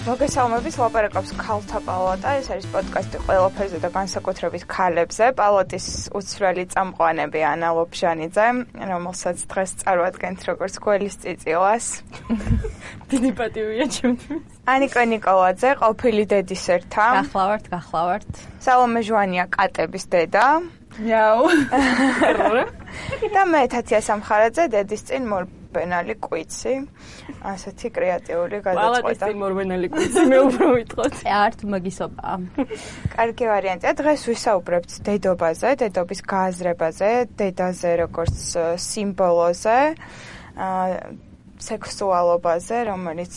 მოგესალმებით, ლაპარაკობს ქალთა პალატა. ეს არის პოდკასტი ყველაფერზე და განსაკუთრებით ქალებზე. პალატის უცვლელი წამყვანები ანა ლობჟანიძე, რომელსაც დღეს წარვადგენთ როგორც გველის წიწილას. დიდი პატივია ჩემთვის. ანიკო ნიკოლაძე, ყოფილი დედის ერთა. გახლავართ. სალომე ჟვანია, კატების დედა. იაუ. და მე თათია სამხარაძე, დედის წინ მორბენალი კვიცი. ასეთი კრეატიული გადაწყვეტა. პალატის წინ მორბენალი კვიცი, მე უფრო ვიტყოთ. ართ მაგისობა. კარგი ვარიანტია. დღეს ვისაუბრებთ დედობაზე, დედობის გააზრებაზე, დედაზე როგორც სიმბოლოზე, სექსუალობაზე, რომელიც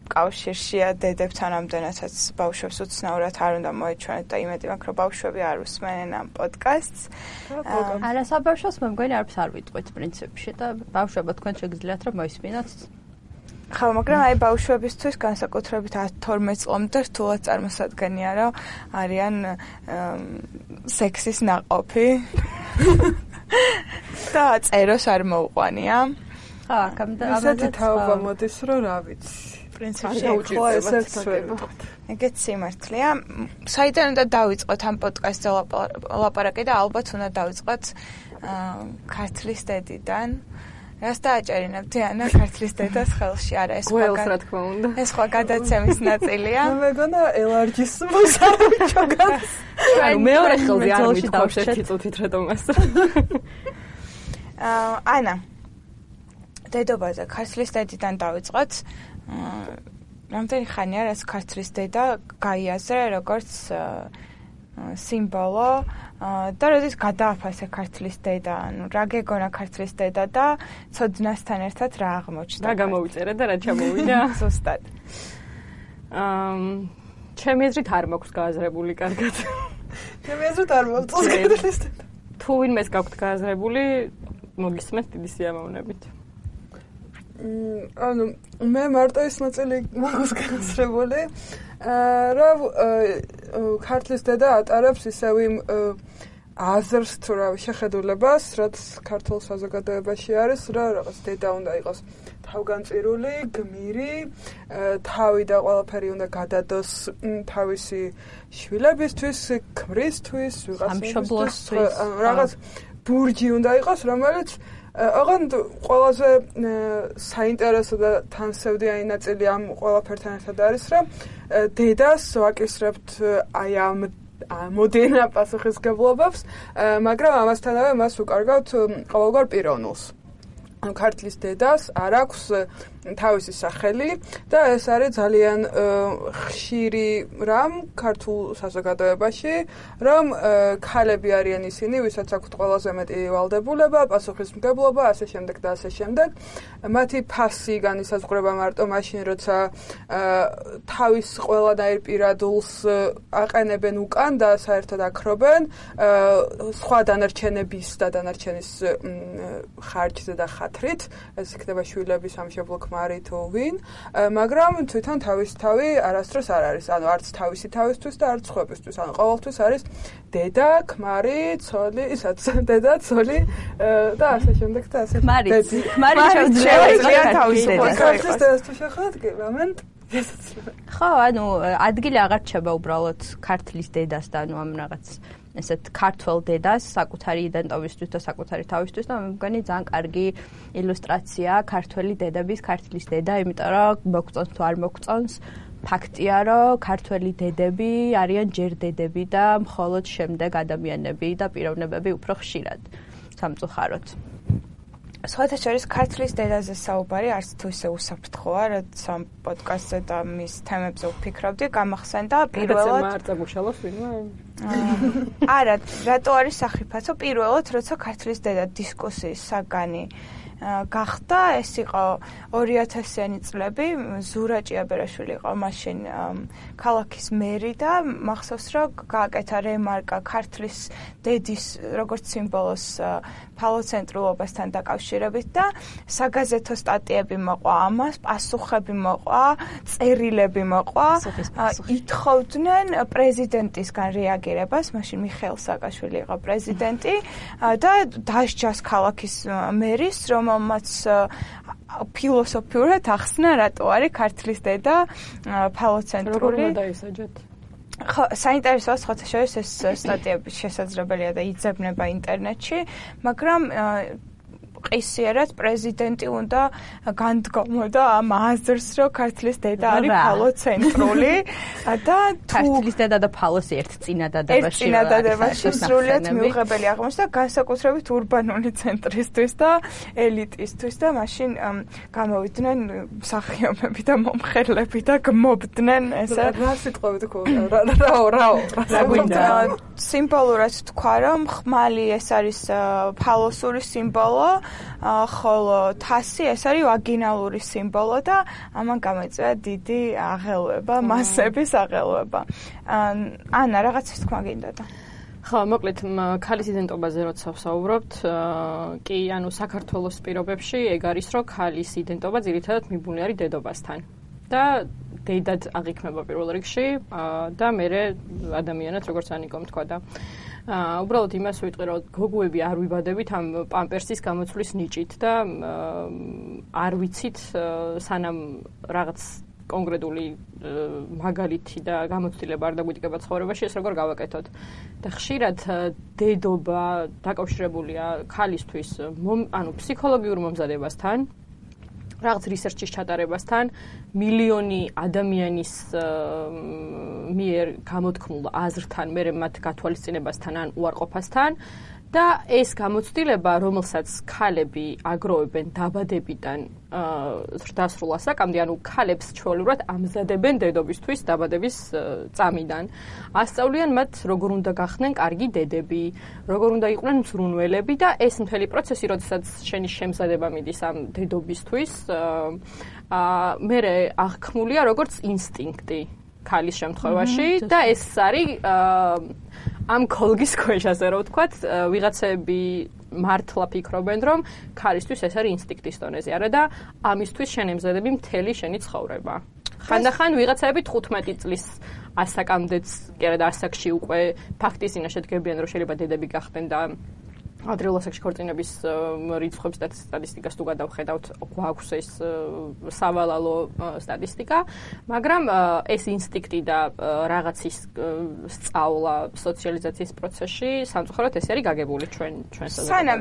კავშირშია დედებთან, ამდენადაც ბავშვებს უცნაურად არ უნდა მოეჩვენოთ და იმედი მაქვს, რომ ბავშვები არ უსმენენ ამ პოდკასტს. არა, საბავშვოს მე მგონი არც არ ვიტყვით პრინციპში და ბავშვებო თქვენ შეგიძლიათ რომ მოისმინოთ. ხო, მაგრამ აი ბავშვებისთვის განსაკუთრებით 10-12 წლამდე რთულად წარმოსადგენია, რომ არიან სექსის ნაყოფი და წეროს არ მოუყვანია. ხა, ამაზე თაობა მოდის, რომ რა ვიცი. პრინციპში უჭირდება. ეგეც სიმართლეა. საიდან უნდა დავიწყოთ ამ პოდკასტზე ლაპარაკი და ალბათ უნდა დავიწყოთ ქართლის დედიდან. რას დააჭერინებთ ანა ქართლის დედას ხელში? არა, ეს გველს რა თქმა უნდა. ეს სხვა გადაცემის ნაწილია. მე მეგონა ელარჯის მოსავიჭო გას. ანუ მეორე ხელზე არ ვიტყავ ერთი წუთით რატომას. ანა დედობაზე ქართლის დედიდან დავიწყოთ. რამდენი ხანია რაც ქართლის დედა გაიაზრე როგორც სიმბოლო და როდის გადააფასე ქართლის დედა, ანუ რა გეგონა ქართლის დედა და ცოდნასთან ერთად რა აღმოჩნდა? რა გამოვიწერე და რა ჩამოვიდა? ზუსტად. ჩემი აზრით არ მაქვს გააზრებული კარგად. ჩემი აზრით არ მოვწონს ქართლის დედა. თუ ვინმეს გაქვთ გააზრებული, მოგისმენთ დიდი სიამოვნებით. ანუ მე მარტო ის ნაწილი მაქვს განსრებული, რომ ქართლის დედა ატარებს ისევ იმ აზრს თუ რა შეხედულებას, რაც ქართულ საზოგადოებაში არის, რომ რაღაც დედა უნდა იყოს თავგანწირული, გმირი, თავი და ყველაფერი უნდა გადადოს თავისი შვილებისთვის, ქმრისთვის, ვიღაცისთვის, რაღაც ბურჯი უნდა იყოს, რომელიც ოღონდ ყველაზე საინტერესო და თანსევდიანი ნაწილი ამ ყველაფერთან ერთად არის, რომ დედას ვაკისრებთ აი ამ მოდერნა პასუხისმგებლობებს, მაგრამ ამასთანავე მას უკარგავთ ყოველგვარ პიროვნულს. ქართლის დედას არ აქვს თავისი სახელი და ეს არის ძალიან ხშირი რამ ქართულ საზოგადოებაში, რომ ქალები არიან ისინი, ვისაც აქვთ ყველაზე მეტი ვალდებულება, პასუხისმგებლობა, ასე შემდეგ და ასე შემდეგ. მათი ფასი განისაზღვრება მარტო მაშინ, როცა თავის ყველანაირ პირადულს აყენებენ უკან და საერთოდ აქრობენ სხვა დანარჩენების და დანარჩენის ხარჯზე და ხათრით, ეს იქნება შვილების სამშობლო ქმარი თუ ვინ, მაგრამ თვითონ თავის თავი არასდროს არ არის, ანუ არც თავისი თავისთვის და არც სხვებისთვის, ანუ ყოველთვის არის დედა, ქმარი, ცოლი, ისაც დედა, ცოლი და ასე შემდეგ და ასე. ქმარი შეუძლია თავისუფლად. ქართლის დედას თუ შეხოთ, კი, ამენ ხო, ანუ ადგილი აღარ რჩება უბრალოდ ქართლის დედას და ანუ ამ რაღაც ესეთ ქართველ დედას საკუთარი იდენტობისთვის და საკუთარი თავისთვის და მე მგონი ძალიან კარგი ილუსტრაცია ქართველი დედების ქართლის დედა, იმიტომ რომ მოგწონს თუ არ მოგწონს, ფაქტია, რომ ქართველი დედები არიან ჯერ დედები და მხოლოდ შემდეგ ადამიანები და პიროვნებები უფრო ხშირად სამწუხაროდ. სხვათა შორის ქართლის დედაზე საუბარი არც თუ ისე უსაფრთხოა, რაც ამ პოდკასტზე და მის თემებზე ვფიქრობდი, გამახსენდა პირველად არ წამუშალოს ვინმე? არა, რატო არის სახიფათო? პირველად, როცა ქართლის დედა დისკუსიის საგანი გახდა, ეს იყო 2000-იანი წლები, ზურა ჭიაბერაშვილი იყო მაშინ ქალაქის მერი და მახსოვს რომ გააკეთა რემარკა ქართლის დედის როგორც სიმბოლოს ფალოცენტრულობასთან დაკავშირებით და საგაზეთო სტატიები მოყვა ამას, პასუხები მოყვა, წერილები მოყვა, ითხოვდნენ პრეზიდენტისგან რეაგირებას, მაშინ მიხეილ სააკაშვილი იყო პრეზიდენტი და დასჯას ქალაქის მერის, რომელმაც ფილოსოფიურად ახსნა რატო არის ქართლის დედა ფალოცენტრული. როგორ უნდა დაისაჯოთ? ხო, საინტერესოა სხვათა შორის ეს სტატიები შესაძლებელია და იძებნება ინტერნეტში, მაგრამ ყისიერად პრეზიდენტი უნდა განდგომო და ამ აზრს, რომ ქართლის დედა არის ფალოცენტრული და ქართლის დედა და ფალოსი ერთ წინადადებაში სრულიად მიუღებელი აღმოჩნდა განსაკუთრებით ურბანული ცენტრისთვის და ელიტისთვის და მაშინ გამოვიდნენ მსახიობები და მომხერლები და გმობდნენ ესე რა სიტყვებით ხო რა სიმბოლურად თქვა რომ ხმალი ეს არის ფალოსური სიმბოლო ხოლო თასი ეს არის ვაგინალური სიმბოლო და ამან გამოიწვია დიდი აღელვება, მასების აღელვება. ანა, რაღაცის თქმა გინდოდა. ხო, მოკლედ, ქალის იდენტობაზე როცა ვსაუბრობთ, კი, ანუ საქართველოს პირობებში ეგ არის, რომ ქალის იდენტობა ძირითადად მიბუნი არის დედობასთან. და დედად აღიქმება პირველ რიგში და მერე ადამიანად, როგორც ანიკომ თქვა და უბრალოდ იმას ვიტყვი, რომ გოგუები არ ვიბადებით ამ პამპერსის გამოცვლის ნიჭით და არ ვიცით სანამ რაღაც კონკრეტული მაგალითი და გამოცდილება არ დაგვიდგება ცხოვრებაში, ეს როგორ გავაკეთოთ. და ხშირად დედობა დაკავშირებულია ქალისთვის, ანუ ფსიქოლოგიურ მომზადებასთან, რაღაც რისერჩის ჩატარებასთან, მილიონი ადამიანის მიერ გამოთქმულ აზრთან, მერე მათ გათვალისწინებასთან ან უარყოფასთან და ეს გამოცდილება, რომელსაც ქალები აგროვებენ დაბადებიდან ზრდასრულ ასაკამდე, ანუ ქალებს ჩვეულებრივად ამზადებენ დედობისთვის დაბადების წამიდან. ასწავლიან მათ, როგორ უნდა გახდნენ კარგი დედები, როგორ უნდა იყვნენ მზრუნველები და ეს მთელი პროცესი, როდესაც შენი შემზადება მიდის ამ დედობისთვის, მერე აღქმულია როგორც ინსტინქტი ქალის შემთხვევაში და ეს არის ამ კოლგის ქვეშ, ასე რომ ვთქვათ, ვიღაცები მართლა ფიქრობენ, რომ ქალისთვის ეს არის ინსტინქტის დონეზე, არა და ამისთვის შენ ემზადები მთელი შენი ცხოვრება. ხანდახან ვიღაცები 15 წლის ასაკამდეც, კი არა და ასაკში უკვე ფაქტის წინაშე დგებიან, რომ შეიძლება დედები გახდნენ და ადრეულ ასაკში ქორწინების რიცხვებს და სტატისტიკას თუ გადავხედავთ, გვაქვს ეს სავალალო სტატისტიკა, მაგრამ ეს ინსტინქტი და რაღაცის სწავლა სოციალიზაციის პროცესში სამწუხაროდ ეს არის გაგებული ჩვენ საზოგადოებაში. სანამ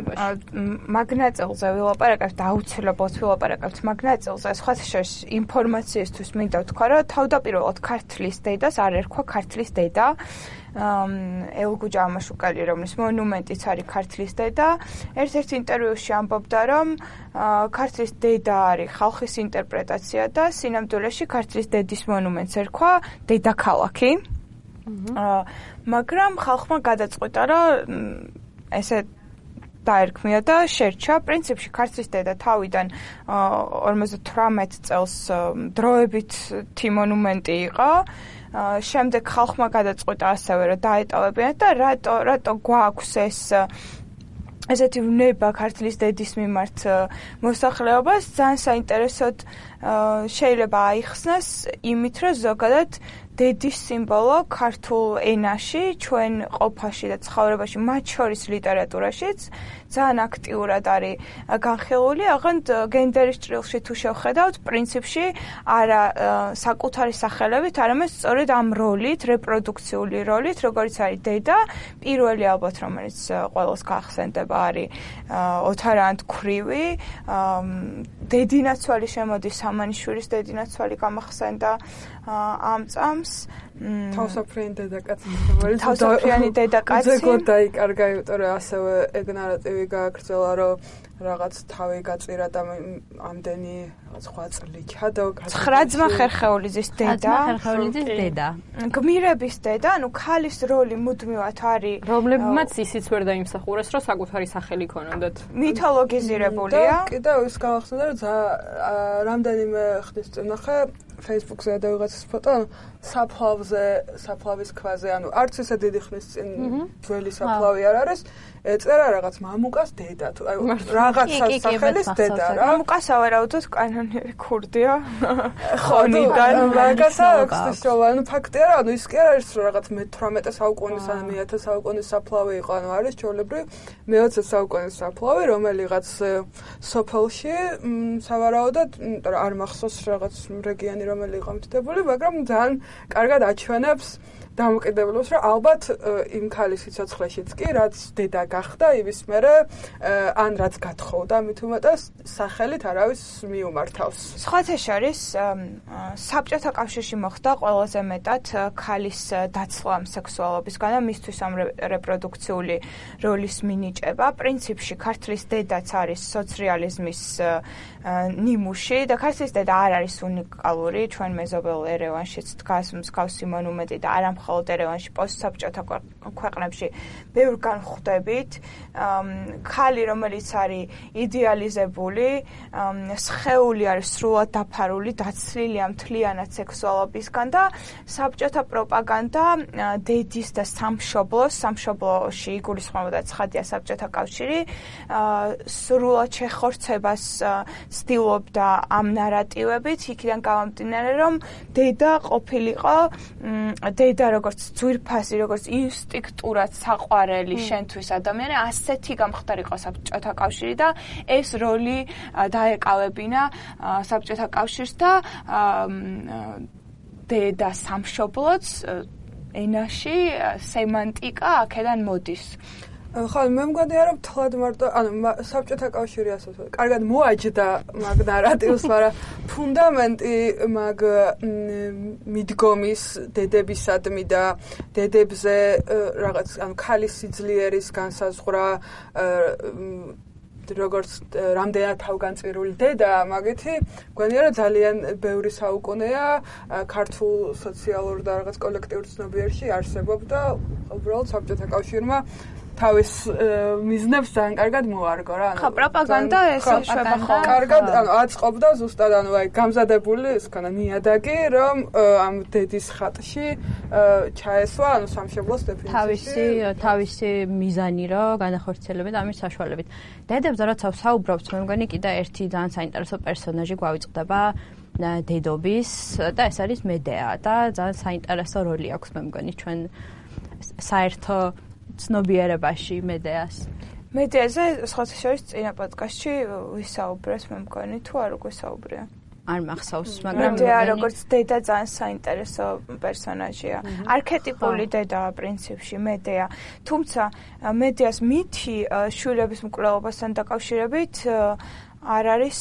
მაგნაწილზე ვილაპარაკებთ, აუცილებლად ვილაპარაკებთ მაგნაწილზე, სხვათა შორის ინფორმაციისთვის მინდა ვთქვა, რომ თავდაპირველად ქართლის დედას არ ერქვა ქართლის დედა. ელგუჯა ამაშუკალი, რომლის მონუმენტიც არის ქართლის დედა, ერთ-ერთ ინტერვიუში ამბობდა, რომ ქართლის დედა არის ხალხის ინტერპრეტაცია და სინამდვილეში ქართლის დედის მონუმენტს ერქვა დედაქალაქი. მაგრამ ხალხმა გადაწყვიტა, რომ ესე დაერქმია და შერჩა. პრინციპში ქართლის დედა თავიდან 58 წელს დროებით მონუმენტი იყო. შემდეგ ხალხმა გადაწყვიტა ასევე, რომ დაეტოვებინათ და რატო გვაქვს ესეთი ვნება ქართლის დედის მიმართ მოსახლეობას, ძალიან საინტერესოდ შეიძლება აიხსნას იმით, რომ ზოგადად დედის სიმბოლო ქართულ ენაში, ჩვენ ყოფაში და ცხოვრებაში, მათ შორის ლიტერატურაშიც ძალიან აქტიურად არის განხილული, აღარ გენდერის ჭრილში თუ შევხედავთ, პრინციპში არა საკუთარი სახელებით, არამედ სწორედ ამ როლით, რეპროდუქციული როლით, როგორც არის დედა, პირველი ალბათ, რომელიც ყველას გაახსენდება, არის ოთარანთ ქვრივი, დედინაცვალი შემოდის, სამანიშვილის დედინაცვალი გამახსენდა ამ წამს. თავსაფრიანი დედაკაცი, თავსაფრიანი დედაკაცი. უძეგოდ დაიკარგა, იმიტომ რომ ასევე ეგ ნარატივი გააგრძელა, რომ რაღაც თავი გაწირა და ამდენი სხვა წლიჩა და 9 ძმა ხერხეულიძის დედა. ხერხეულიძის დედა. გმირების დედა, ანუ ქალის როლი მუდმივად არის, რომლებმაც ისიც ვერ დაიმსახურეს, რომ საკუთარი სახელი ქონოდათ. მითოლოგიზირებულია. და კიდევ ის გავახსენე, რომ რამდენიმე ხნის წინ ნახე Facebook-ზე და ვიღაცის ფოტო, საფლავის ქვაზე, ანუ არც ისე დიდი ხნის წინ ძველი საფლავი არ არის, ეწერა რაღაც მამუკას დედა თუ აი რაღაც სახელის დედა რა. მამუკასა ვარაუდოთ კანონიერი ქურდია. ხონიდან მაგასა ექსტესოვა, ანუ ფაქტია რა, ანუ ის კი არ არის რომ რაღაც მე-18 საუკუნის ან მე-10 საუკუნის საფლავი იყო, ანუ არის ჩვეულებრივი მე-20 საუკუნის საფლავი, რომელიღაც სოფელში სავარაუდოდ, იმიტომ რომ არ მახსოვს რაღაც რეგიონი რომელი იყო მითითებული, მაგრამ ძალიან კარგად აჩვენებს დამოკიდებულებას, რომ ალბათ იმ ქალის სიცოცხლეშიც კი, რაც დედა გახდა, იმის მერე ან რაც გათხოვდა, მით უმეტეს სახელით არავის მიუმართავს. სხვათა შორის, საბჭოთა კავშირში მოხდა ყველაზე მეტად ქალის დაცვა სექსუალობისგან და მისთვის ამ რეპროდუქციული როლის მინიჭება. პრინციპში ქართლის დედაც არის სოციალიზმის ნიმუში და ქართლის დედა არ არის უნიკალური, ჩვენ მეზობელ ერევანშიც დგას მსგავსი მონუმენტი და არა მხოლოდ ერევანში, პოსტსაბჭოთა ქვეყნებში ბევრგან ხვდებით. ქალი, რომელიც არის იდეალიზებული, სხეული არის სრულად დაფარული, დაცლილია მთლიანად სექსუალობისგან და საბჭოთა პროპაგანდა დედის და სამშობლოში იგულისხმებოდა ცხადია საბჭოთა კავშირი, სრულად შეხორცებას ცდილობდა ამ ნარატივებით, იქიდან გამომდინარე, რომ დედა ყოფილიყო, დედა როგორც ძვირფასი, როგორც ინსტინქტურად საყვარელი შენთვის ადამიანი, ასეთი გამხდარიყო საბჭოთა კავშირი და ეს როლი დაეკავებინა საბჭოთა კავშირს და დედა სამშობლოც ენაში სემანტიკა აქედან მოდის. ხო, მე მგონია რომ თლად მარტო, ანუ საბჭოთა კავშირი ასე ვთქვათ, კარგად მოაჯდა მაგ ნარატივს, მაგრამ ფუნდამენტი მაგ მიდგომის დედებისადმი და დედებზე რაღაც, ანუ ქალის სიძლიერის განსაზღვრა, როგორც რამდენად თავგანწირული დედა, მაგითი მგონია რომ ძალიან ბევრი საუკუნეა ქართულ სოციალურ და რაღაც კოლექტიურ ცნობიერში არსებობდა, უბრალოდ საბჭოთა კავშირმა თავის მიზნებს ძალიან კარგად მოარგო რა. ხო, პროპაგანდა ეს შეება ხო. კარგად, ანუ აწყობდა ზუსტად, ანუ აი გამზადებული ის ქონა ნიადაგი, რომ ამ დედის ხატში ჩაესვა, ანუ სამშობლოს დეფინიციაში თავისი მიზანი რო განახორციელებენ ამის საშუალებით. დედებზე როცა საუბრობთ, მე მგონი კიდე ერთი ძალიან საინტერესო პერსონაჟი გვავიწყდება დედობის და ეს არის მედეა და ძალიან საინტერესო როლი აქვს მე მგონი ჩვენ საერთო ცნობიერებაში მედეას. მედეაზე სხვათა შორის წინა პოდკასტში ვისაუბრეთ, მე მგონი, თუ არ გვისაუბრია. არ მახსოვს, მაგრამ მედეა როგორც დედა ძალიან საინტერესო პერსონაჟია. არქეტიპული დედაა პრინციპში მედეა. თუმცა მედეას მითი შვილების მკვლელობასთან დაკავშირებით არ არის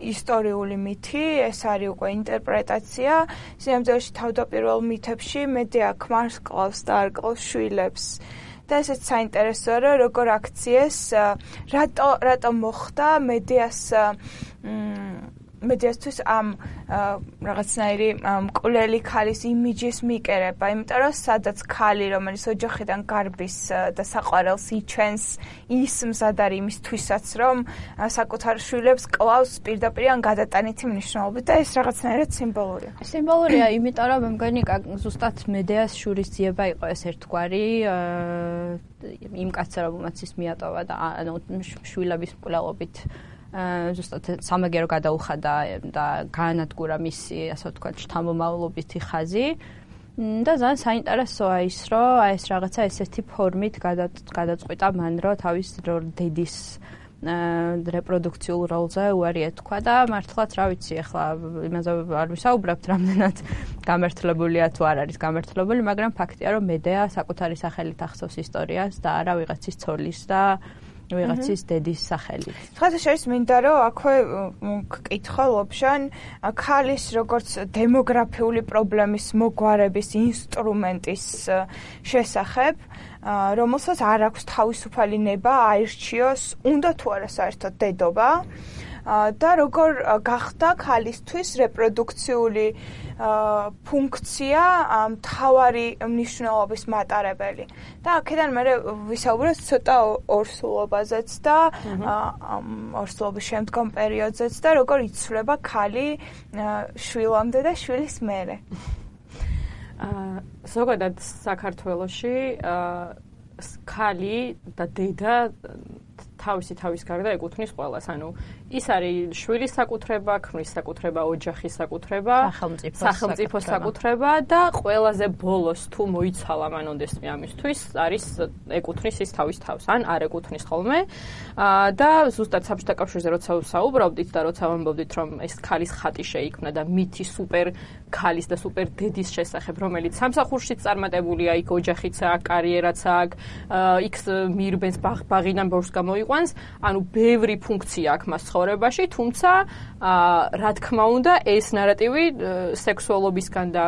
ისტორიული მითი, ეს არის უკვე ინტერპრეტაცია. სიამოვნებაში თავდაპირველ მითებში მედეა ქმარს კლავს და არ კლავს შვილებს. და ესეც საინტერესოა, რომ როგორ აქციეს, რატო მოხდა მედეასთვის ამ რაღაცნაირი მკვლელი ქალის იმიჯის მიკერება, იმიტომ რომ სადაც ქალი, რომელიც ოჯახიდან გარბის და საყვარელს იჩენს, ის მზად არის იმისთვისაც, რომ საკუთარ შვილებს კლავს პირდაპირ ან გადატანითი მნიშვნელობით და ეს რაღაცნაირად სიმბოლურია. სიმბოლურია, იმიტომ რომ მე მგონი ზუსტად მედეას შურისძიება იყო ეს ერთგვარი იმ კაცს, რომელმაც ის მიატოვა და ანუ შვილების მკვლელობით ზუსტად სამაგერო გადაუხადა და გაანადგურა მისი, ასე ვთქვათ, შთამომავლობითი ხაზი. და ძალიან საინტერესოა ის, რომ აი ეს რაღაცა ესეთი ფორმით გადაწყვიტა მან, რომ თავის დედის რეპროდუქციულ როლზე უარი ეთქვა და მართლაც რა ვიცი, ახლა იმაზე არ ვისაუბრებთ, რამდენად გამართლებულია თუ არ არის გამართლებული, მაგრამ ფაქტია, რომ მედეა საკუთარი სახელით ახსოვს ისტორიას და არა ვიღაცის ცოლის და ვიღაცის დედის სახელით. ხათა შორის მინდა რომ აქვე გკითხო ლობჟან ქალის როგორც დემოგრაფიული პრობლემის მოგვარების ინსტრუმენტის შესახებ, რომელსაც არ აქვს თავისუფალი ნება აირჩიოს, უნდა თუ არა საერთოდ დედობა. და როგორ გახდა ქალისთვის რეპროდუქციული ფუნქცია მთავარი მნიშვნელობის მატარებელი. და აქედან მე ვისაუბრებ ცოტა ორსულობაზეც და ორსულობის შემდგომ პერიოდზეც და როგორ იცვლება ქალი შვილამდე და შვილის მერე. ზოგადად საქართველოში ქალი და დედა თავის გარდა ეკუთვნის ყველას. ანუ ის არის შვილის საკუთრება, ქმრის საკუთრება, ოჯახის საკუთრება, სახელმწიფოს საკუთრება და ყველაზე ბოლოს თუ მოიცალა მანონდეს ამისთვის არის ეკუთვნის ის თავის თავს, ან არ ეკუთვნის ხოლმე. და ზუსტად საბჭოთა კავშირზე როცა ვსაუბრობდით და როცა ვამბობდით რომ ეს ქალის ხატი შეიქმნა და მითი სუპერ ქალის და სუპერ დედის შესახებ, რომელიც სამსახურშიც წარმატებულია, იქ ოჯახიც აქვს, კარიერაც აქვს, იქ მიირბენს ბაღიდან ბორს გამოიყვანს, ანუ ბევრი ფუნქცია აქვს მას ცხოვრებაში, თუმცა რა თქმა უნდა ეს ნარატივი სექსუალობისგან და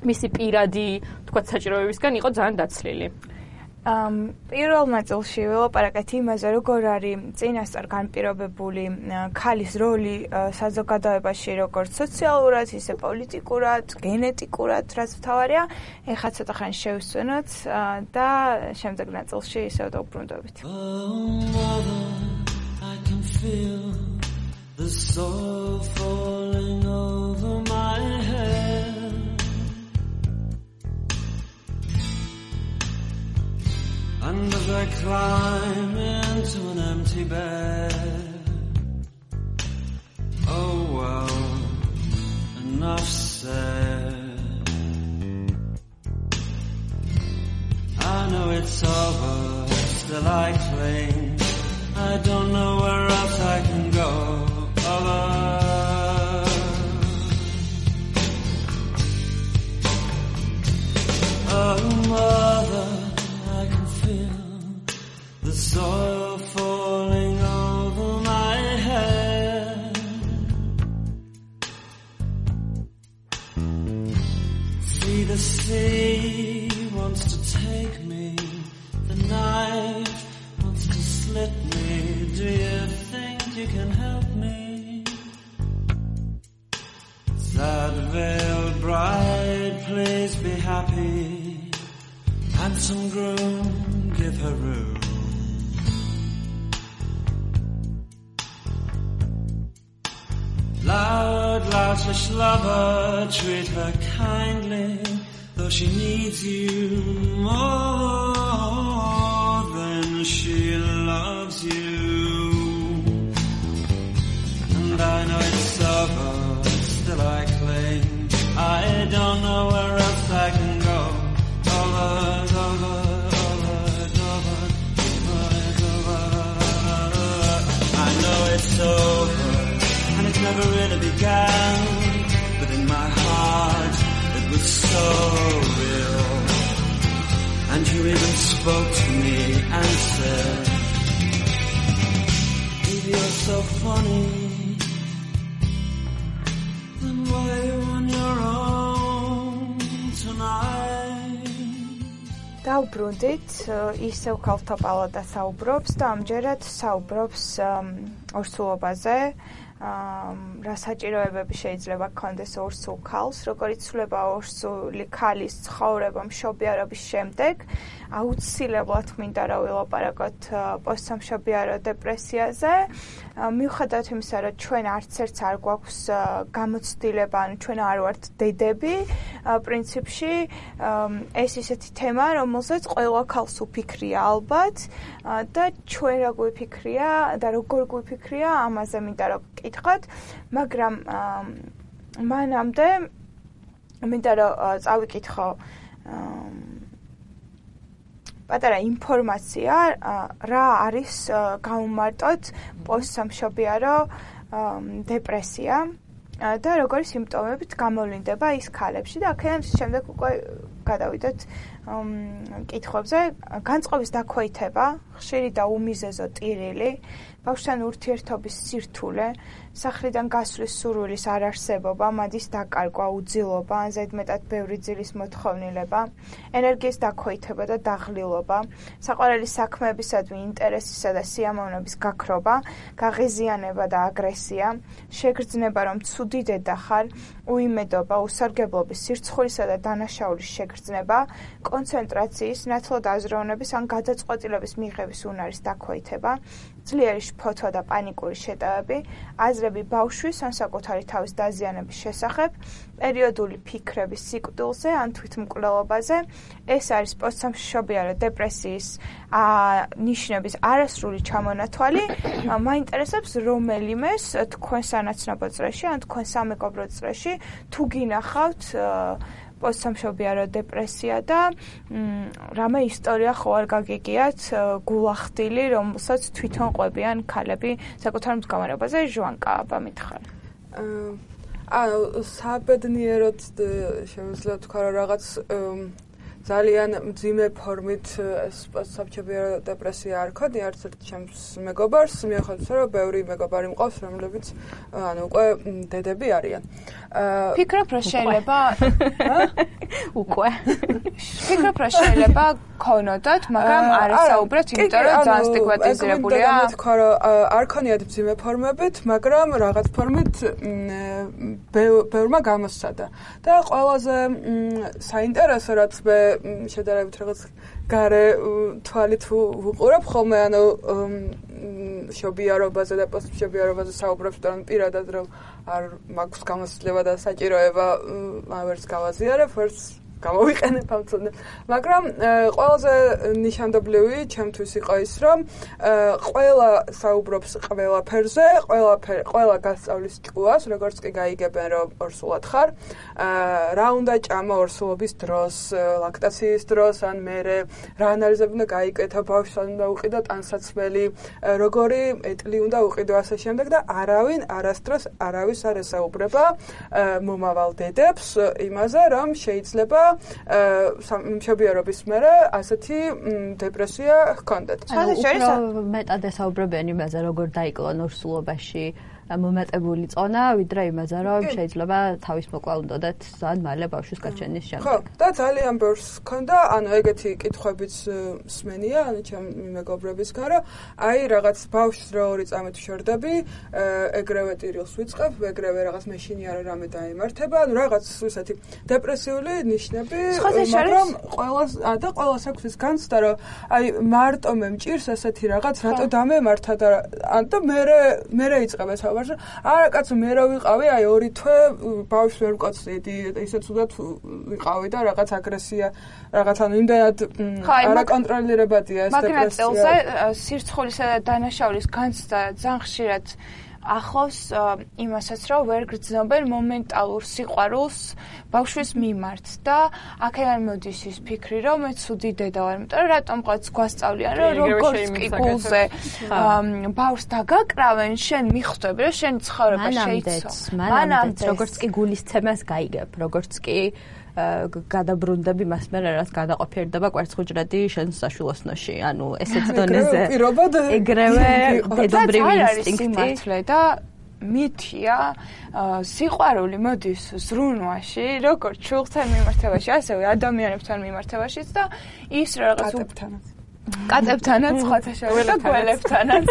მისი პირადი, თქვათ, საჭიროებებისგან იყო ძალიან დაცლილი. პირველ ნაწილში ველაპარაკეთ იმაზე, როგორ არის წინასწარ განპირობებული ქალის როლი საზოგადოებაში, როგორც სოციალურად, ისე პოლიტიკურად, გენეტიკურად, რაც მთავარია. ეხლა ცოტა ხანი შევსვენოთ და შემდეგ ნაწილში ისევ დავბრუნდებით. The soul falling over my head. And as I climb into an empty bed, oh well, enough said. I know it's over, still I cling. I don't know where else I can go. Oh, mother, I can feel the soil falling over my head. See, the sea wants to take me, the knife wants to slit me. Do you think you can help me? Sad veiled bride, please be happy. Handsome groom, give her room. Loud, loutish lover, treat her kindly, though she needs you more than she loves you. And I know it's over, still I cling. I don't know where else I can go. I know it's over, and it never really began. But in my heart, it was so real. And you even spoke to me and said, if you're so funny, then why are you on your own tonight? დავბრუნდით, ისევ ქალთა პალატა საუბრობს და ამჯერად საუბრობს ორსულობაზე, რა საჭიროებები შეიძლება გქონდეს ორსულ ქალს, როგორ იცვლება ორსული ქალის ცხოვრება მშობიარობის შემდეგ. აუცილებლად მინდა რა ვილაპარაკოთ პოსტსამშობიარო დეპრესიაზე. მიუხედავად იმისა, რომ ჩვენ არც ერთს არ გვაქვს გამოცდილება, ანუ ჩვენ არ ვართ დედები, პრინციპში ეს ისეთი თემა, რომელზეც ყველა ქალს უფიქრია ალბათ და ჩვენ რა გვიფიქრია და როგორ გვიფიქრია, ამაზე მინდა რომ გკითხოთ, მაგრამ მანამდე მინდა რომ წავიკითხო პატარა ინფორმაცია, რა არის გამომარტოთ პოსტსამშობიარო დეპრესია და როგორი სიმპტომებით გამოვლინდება ის ქალებში და აქედან შემდეგ უკვე გადავიდეთ კითხვებზე. განწყობის დაქვეითება ხშირი და უმიზეზო ტირილი, ბავშვთან ურთიერთობის სირთულე, სახლიდან გასვლის სურვილის არარსებობა, მადის დაკარგვა, უძილობა, ან ზედმეტად ბევრი ძილის მოთხოვნილება, ენერგიის დაქვეითება და დაღლილობა, საყვარელი საქმეებისადმი ინტერესისა და სიამოვნების გაქრობა, გაღიზიანება და აგრესია, შეგრძნება, რომ ცუდი დედა ხარ, უიმედობა, უსარგებლობის, სირცხულისა და დანაშაულის შეგრძნება, კონცენტრაციის, ნათლად აზროვნების ან გადაწყვეტილების მიღების უნარის დაქვეითება, ძლიერი შფოთვა და პანიკური შეტევები, აზრები ბავშვის ან საკუთარი თავის დაზიანების შესახებ, პერიოდული ფიქრების სიკვდილზე ან თვითმკვლელობაზე, ეს არის პოსტსამშობიარო დეპრესიის ნიშნების არასრული ჩამონათვალი. მაინტერესებს რომელიმეს თქვენ სანაცნობო წრეში ან თქვენ სამეგობრო წრეში თუ გინახავთ პოსტსამშობიარო დეპრესია და რამე ისტორია ხო არ გაგიგიათ გულახდილი, რომელსაც თვითონ ყვებიან ქალები საკუთარ მდგომარეობაზე. ჟვანკა, აბა მითხარ. საბედნიეროდ შემიძლია თქვა რომ რაღაც ძალიან მძიმე ფორმით პოსტსამშობიარო დეპრესია არ ქონია არც ერთ ჩემს მეგობარს, მიუხედავად იმისა, რომ ბევრი მეგობარი მყავს, რომლებიც უკვე დედები არიან. ფიქრობ, რომ შეიძლება უკვე ფიქრობ, რომ შეიძლება ქონოდათ, მაგრამ არ ესაუბრეთ, იმიტომ რომ ძალიან სტიგმატიზირებულია. თქვა რომ არ ქონიათ მძიმე ფორმებით, მაგრამ რაღაც ფორმით ბევრმა გამოსცადა. და ყველაზე საინტერესო რაც მე შედარებით რაღაც გარე თვალით ვუყურებ ხოლმე, ანუ შობიარობაზე და პოსტშობიარობაზე საუბრობს, რომ პირადად რომ არ მაქვს გამოცდილება და საჭიროება ვერც გავაზიარებ, ვერც გამოვიყენებ ამ ცოდნას. მაგრამ ყველაზე ნიშანდობლივი ჩემთვის იყო ის, რომ ყველა საუბრობს ყველაფერზე, ყველა გასწავლის ჭკუას, როგორც კი გაიგებენ, რომ ორსულად ხარ, რა უნდა ჭამა ორსულობის დროს, ლაქტაციის დროს, ან მერე რა ანალიზები უნდა გაიკეთა, ბავშვს უნდა უყიდო ტანსაცმელი, როგორი ეტლი უნდა უყიდო ასე შემდეგ და არავინ არასდროს არავის არ ესაუბრება მომავალ დედებს იმაზე, რომ შეიძლება მშობიარობის მერე ასეთი დეპრესია ჰქონდეთ. უფრო მეტად ესაუბრებიან იმაზე, როგორ დაიკლონ ორსულობაში მომატებული წონა, ვიდრე იმაზე, რომ შეიძლება თავის მოკლა უნდათ ძალიან მალე ბავშვის გაჩენის შემდეგ. ხო, და ძალიან ბევრს ჰქონდა, ანუ ეგეთი კითხვებიც მსმენია, ანუ ჩემი მეგობრებისგან, რომ აი რაღაც ბავშვს რო 2 წამით ვშორდები, ეგრევე ტირილს ვიწყებ, ეგრევე რაღაც მეშინია რომ რამე დაემართება, ანუ რაღაც ისეთი დეპრესიული ნიშნები, მაგრამ ყველას აქვს ის განცდა, რომ აი მარტო მე მჭირს ესეთი რაღაც, რატო დამემართა და ან და მერე იწყებ ეს არა კაცო მე რა ვიყავი აი 2 თვე ბავშვს ვერ ვკოცდიდი ისე ცუდად ვიყავი და რაღაც აგრესია რაღაც ანუ იმდენად არაკონტროლირებადია ეს დეპრესია. მაგნატ წელზე სირცხულისა და დანაშაულის განცდა ძალიან ხშირად ახლავს იმასაც, რომ ვერ გრძნობენ მომენტალურ სიყვარულს ბავშვის მიმართ და აქედან მოდის ის ფიქრი, რომ მე ცუდი დედა ვარ, იმიტომ რომ რატომ ყოველთვის გვასწავლიან, რომ როგორც კი გულზე ბავშვს დაგაკრავენ, შენ მიხვდები, რომ შენი ცხოვრება შეიცვალა. მანამდე როგორც კი გულისცემას გაიგებ, როგორც კი გადაბრუნდები მას მერე რაც გადაყოფიერდება კვერცხუჯრედი შენ საშვილოსნოში, ანუ ესეც დონეზე ეგრევე დედობრივი ინსტინქტი და მითია სიყვარული მოდის ზრუნვაში, როგორც შულთან მიმართებაში, ასევე ადამიანებთან მიმართებაშიც და ის რაღაც კატებთანაც, სხვათა შორის და გველებთანაც.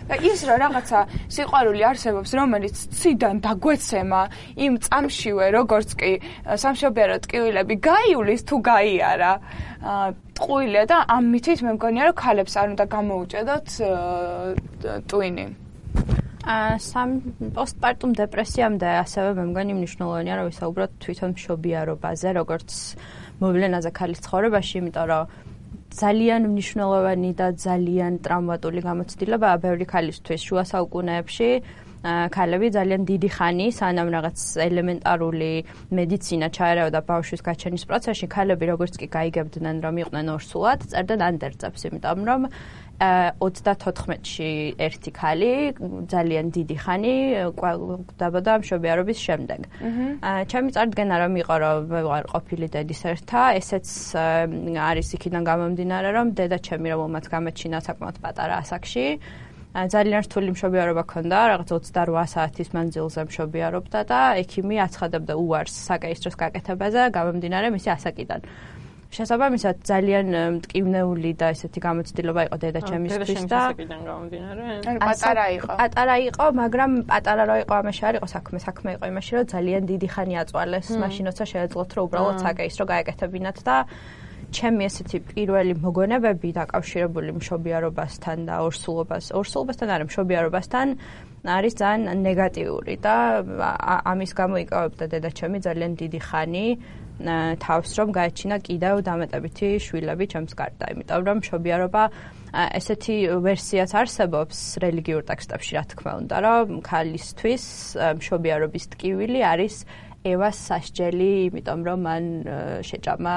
და ის რა რაღაცა სიყვარული არსებობს, რომელიც ციდან დაგვეცემა იმ წამშივე, როგორც კი სამშობიარო ტკივილები გაიulis თუ გაიარა. ტყუილია და ამ მითით მე მგონია, რომ ქალებს არ უნდა გამოუჭედოთ ტვინი. პოსტპარტუმ დეპრესიამდე ასევე მე მგონი მნიშვნელოვანია, რომ ვისაუბროთ თვითონ მშობიარობაზე, როგორც მოვლენაზე ქალის ცხოვრებაში, იმიტომ რომ ძალიან მნიშვნელოვანი და ძალიან ტრავმატული გამოცდილებაა ბევრი ქალისთვის შუა საუკუნეებში. ქალები ძალიან დიდი ხანი, სანამ რაღაც ელემენტარული მედიცინა ჩაერევდა ბავშვის გაჩენის პროცესში, ქალები როგორც კი გაიგებდნენ, რომ იყვნენ ორსულად, წერდნენ ანდერძებს, იმიტომ რომ 34-ში ერთი ქალი ძალიან დიდი ხანი კვდაბოდა მშობიარობის შემდეგ. ჩემი წარდგენა რომ იყო რომ მე ვარ ყოფილი დედის ერთა, ესეც არის იქიდან გამომდინარე რომ დედა ჩემი რომელმაც გამეჩინა საკმაოდ პატარა ასაკში ძალიან რთული მშობიარობა ჰქონდა, რაღაც 28 საათის მანძილზე მშობიარობდა და ექიმი აცხადებდა უარს საკეისროს გაკეთებაზე გამომდინარე მისი ასაკიდან. შესაბამისად ძალიან მტკივნეული და ესეთი გამოცდილება იყო დედა ჩემისთვის და ასაკიდან გამომდინარე. პატარა იყო, მაგრამ პატარა რო იყო ამაში არ იყო საქმე იყო იმაში რომ ძალიან დიდი ხანი აწვალეს, მაშინ როცა შეეძლოთ რომ უბრალოდ საკეისრო გაეკეთებინათ და ჩემი ესეთი პირველი მოგონებები დაკავშირებული მშობიარობასთან და ორსულობასთან არა მშობიარობასთან არის ძალიან ნეგატიური და ამის გამო იკავებდა დედა ჩემი ძალიან დიდი ხანი თავს რომ გაეჩინა კიდევ დამეტებითი შვილები ჩემს გარდა, იმიტომ რომ მშობიარობა ესეთი ვერსიაც არსებობს რელიგიურ ტექსტებში, რა თქმა უნდა, რომ ქალისთვის მშობიარობის ტკივილი არის ევას სასჯელი, იმიტომ რომ მან შეჭამა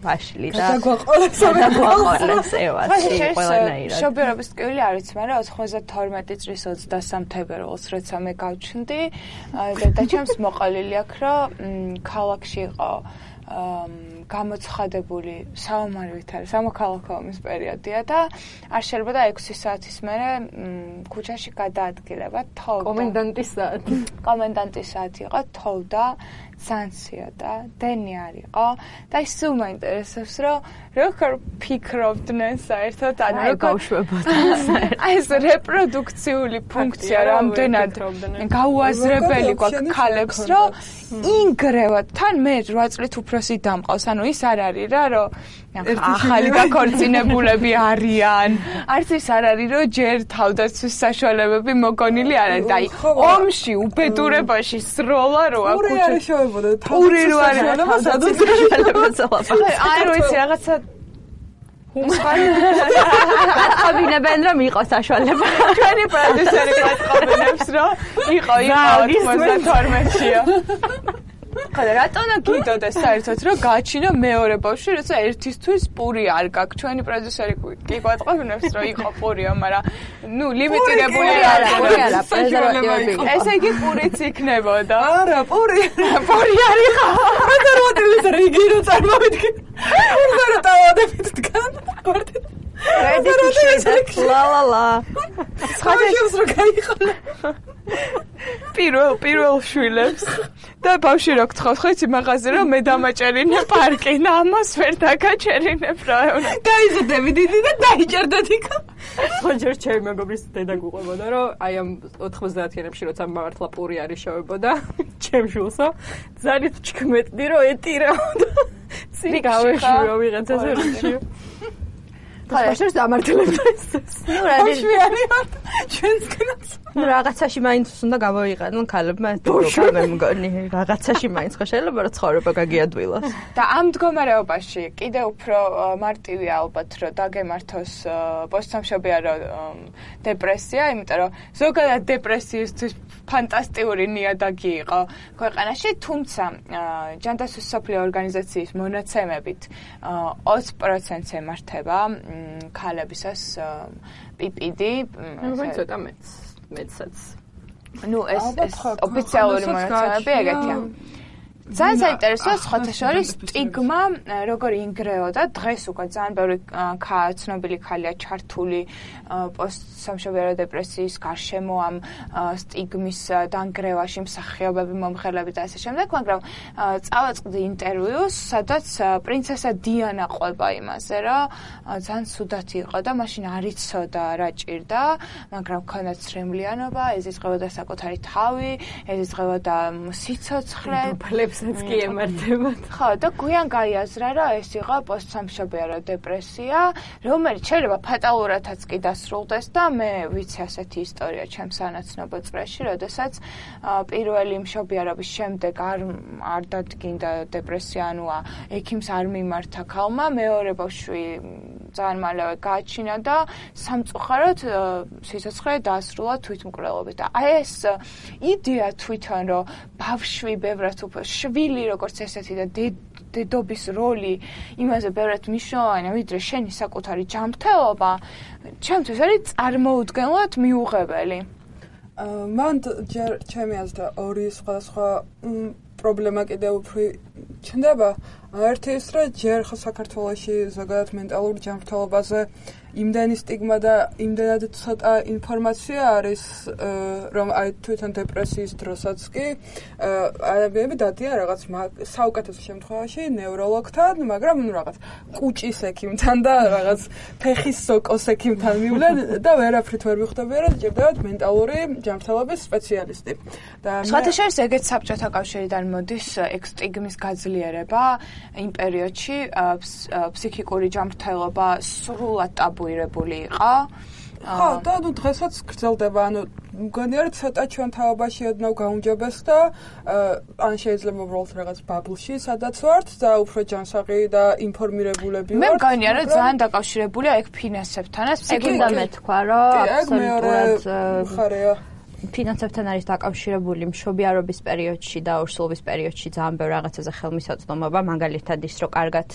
ვაშლი და დაგვაყოლეს ევაში ყველანაირად. მშობიარობის ტკივილი არის, მაგრამ 92 წლის 23 თებერვალს, როცა მე გავჩნდი, და ჩემს მოყოლილი აქვს, რომ ქალაქში იყო გამოცხადებული საომარი ვითარი სამოქალაქო ომის პერიოდია და არ შეიძლება 6 საათის მერე ქუჩაში გადაადგილება თოვდა. კომენდანტის საათი იყო, თოვდა, სანსია და დენი არ იყო და ის სულ მაინტერესებს, რომ როგორ ფიქრობდნენ საერთოდ ან როგორ ეს რეპროდუქციული ფუნქცია რამდენად გაუაზრებელი გვაქვს ქალებს, რომ ინგრევად თან მე 8 წლით უფროსი დამყავს, ანუ ის არ არის რა, რომ ახალი გაქორწინებულები არიან, არც ის არ არის, რომ ჯერ თავდაცვის საშუალებები მოგონილი არ არის და აი ომში უბედურებაში სროლა რო აქვს პური რო არის აი რო იცი რაღაცა აბინებენ რომ იყოს საშუალება. ჩვენი პროდიუსერი გვაწყობინებს რომ იყო 92-ია. ხოდა რატომ გიდოდეს საერთოდ რომ გააჩინა მეორე ბავშვი, როცა ერთისთვის პური არ გაქვს. ჩვენი პროდიუსერი კი გვაწყობინებს რომ იყო პურია, მაგრამ ნუ ლიმიტირებული არა. ესე იგი პურიც იქნებოდა. არა, პური არ იყო. პრეზერვატივის რიგი რო წარმოვიდგე. უბრალოდ დავადებით დგან. ლა. ხაჯებს რო გაიყოლა. პირველ შვილებს და ბავშვი რო გთხოვს, ხო იცი მაღაზე რომ მე დამაჭერინე პარკი და ამას ვერ დაგაჭერინებ რა. გაიზრდები დიდი და დაიჭერდეთ იქ. ხო ჯერ ჩემი მეგობრის დედა გუყვებოდა რომ აი ამ 90-იანებში როცა მართლა პური არის შევებოდა ჩემ შულსო ძალიან ჩქმეტდი რომ ეტირაოდა. წინ გავეშვიო ვიღაცას ერჩიო. ხაშერს დამართლებდა ეს. ნუ რა შვიანი ვარ ჩვენსკენაც. ნუ რაღაცაში მაინც უნდა გამოიყენონ ქალებმა დოგა მე მგონი რაღაცაში მაინც ხო შეიძლება რომ ცხოვრება გაგიადვილოს. და ამ მდგომარეობაში კიდე უფრო მარტივია ალბათ რომ დაგემართოს პოსტსამშობიარო დეპრესია, იმიტომ რომ ზოგადად დეპრესიისთვის ფანტასტიკური ნიადაგი იყო ქვეყანაში, თუმცა ჯანდაცვის მსოფლიო ორგანიზაციის მონაცემებით 20%-ს ემართება ქალებისას PPD. მე ცოტა მეცაც. ნუ ეს ოფიციალური მონაცემები ეგეთია. ძალიან საინტერესოა სხვათა შორის სტიგმა როგორ ინგრეოდა დღეს უკვე ძალიან ბევრი ცნობილი ქალია ჩართული პოსტსამშობიარო დეპრესიის გარშემო ამ სტიგმის დანგრევაში მსახიობები მომღერლები და ასე შემდეგ, მაგრამ წავაწყდი ინტერვიუს, სადაც პრინცესა დიანა ყვება იმაზე, რომ ძალიან ცუდად იყო და მაშინ არ იცოდა რა ჭირდა, მაგრამ ჰქონდა ცრემლიანობა, ეზიზღებოდა საკუთარი თავი, ეზიზღებოდა სიცოცხლე, ფლებსაც კი ემართებათ. ხო, და გვიან გაიაზრა, რომ ეს იყო პოსტსამშობიარო დეპრესია, რომელიც შეიძლება ფატალურადაც კი დასრულდეს და მე ვიცი ასეთი ისტორია ჩემს სანაცნობო წრეში, როდესაც პირველი მშობიარობის შემდეგ არ დადგინდა დეპრესია, ანუ ექიმს არ მიმართა ქალმა, მეორე ბავშვი ძალიან მალევე გააჩინა და სამწუხაროდ სიცოცხლე დაასრულა თვითმკვლელობით. და აი ეს იდეა თვითონ რომ ბავშვი ბევრად უფრო შვილი როგორც ესეთი და დედობის როლი იმაზე ბევრად მნიშვნელოვანია ვიდრე შენი საკუთარი ჯანმრთელობა ჩემთვის არის წარმოუდგენლად მიუღებელი. მან ჯერ ჩემი აზრით ორი სხვადასხვა პრობლემა კიდევ უფრო ჩნდება. ერთი ის რომ ჯერ ხო საქართველოში ზოგადად მენტალურ ჯანმრთელობაზე იმდენი სტიგმა და იმდენად ცოტა ინფორმაცია არის რომ აი თვითონ დეპრესიის დროსაც კი ადამიანები დადიან რაღაც საუკეთესო შემთხვევაში ნევროლოგთან, მაგრამ რაღაც კუჭის ექიმთან და რაღაც ფეხის სოკოს ექიმთან მივლენ და ვერაფრით ვერ მიხვდებიან რომ ჭირდებათ მენტალური ჯანმრთელობის სპეციალისტი. და სხვათა შორის ეგეც საბჭოთა კავშირიდან მოდის ეგ სტიგმის გაძლიერება იმ პერიოდში ფსიქიკური ჯანმრთელობა სრულად ტაბუირებული იყო. ხო, და ნუ დღესაც გრძელდება, ანუ მგონია რომ ცოტა ჩვენ თაობაში ოდნავ გაუმჯობეს და ან შეიძლება უბრალოდ რაღაც ბაბლში სადაც ვართ და უფრო ჯანსაღი და ინფორმირებულები ვართ. მე მგონია რომ ძალიან დაკავშირებულია ეგ ფინანსებთანაც. ეგ უნდა მეთქვა რომ აბსოლუტურად ხარეა. ფინანსებთან არის დაკავშირებული მშობიარობის პერიოდში და ორსულობის პერიოდში ძალიან ბევრ რაღაცაზე ხელმისაწვდომობა, მაგალითად ის რომ კარგად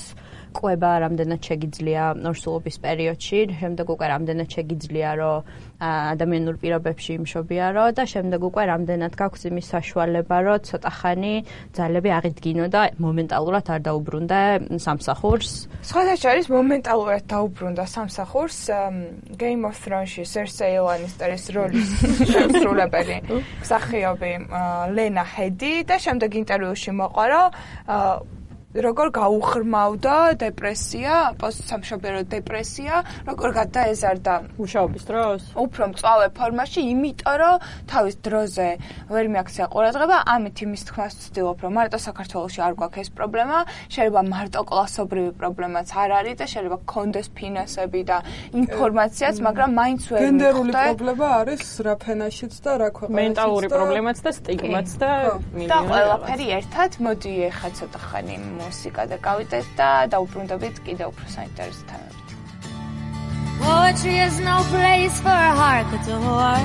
ყვება რამდენად შეგიძლია ორსულობის პერიოდში, შემდეგ უკვე რამდენად შეგიძლია რომ ადამიანურ პირობებში იმშობიარო და შემდეგ უკვე რამდენად გაქვს იმის საშუალება რომ ცოტა ხანი ძალები აღიდგინო და მომენტალურად არ დაუბრუნდა სამსახურს. სხვათა შორის მომენტალურად დაუბრუნდა სამსახურს Game of Thrones-ში Cersei Lannister-ის როლის შემსრულებელი მსახიობი ლენა ჰედი და შემდეგ ინტერვიუში მოყვა რომ როგორ გაუღრმავდა დეპრესია, პოსტსამშობიარო დეპრესია, როგორ გადაეზარდა მუშაობის დროს. უფრო მწვავე ფორმაში, იმიტომ რომ თავის დროზე ვერ მიაქცია ყურადღება, ამით იმის თქმას ვცდილობ, რომ მარტო საქართველოში არ გვაქვს ეს პრობლემა, შეიძლება მარტო კლასობრივი პრობლემაც არ არის და შეიძლება გქონდეს ფინანსები და ინფორმაციაც, მაგრამ მაინც ვერ მიხვდა. გენდერული პრობლემა არის რა ფენაშიც და რა ქვეყანაშიც. მენტალური პრობლემაც და სტიგმაც და ყველაფერი ერთად. მოდი ეხლა ცოტა ხანი მუსიკა და გავიდეთ და დაუბრუნდებით კიდევ უფრო საინტერესო თემებით. Poetry is no place for a heart that's a whore.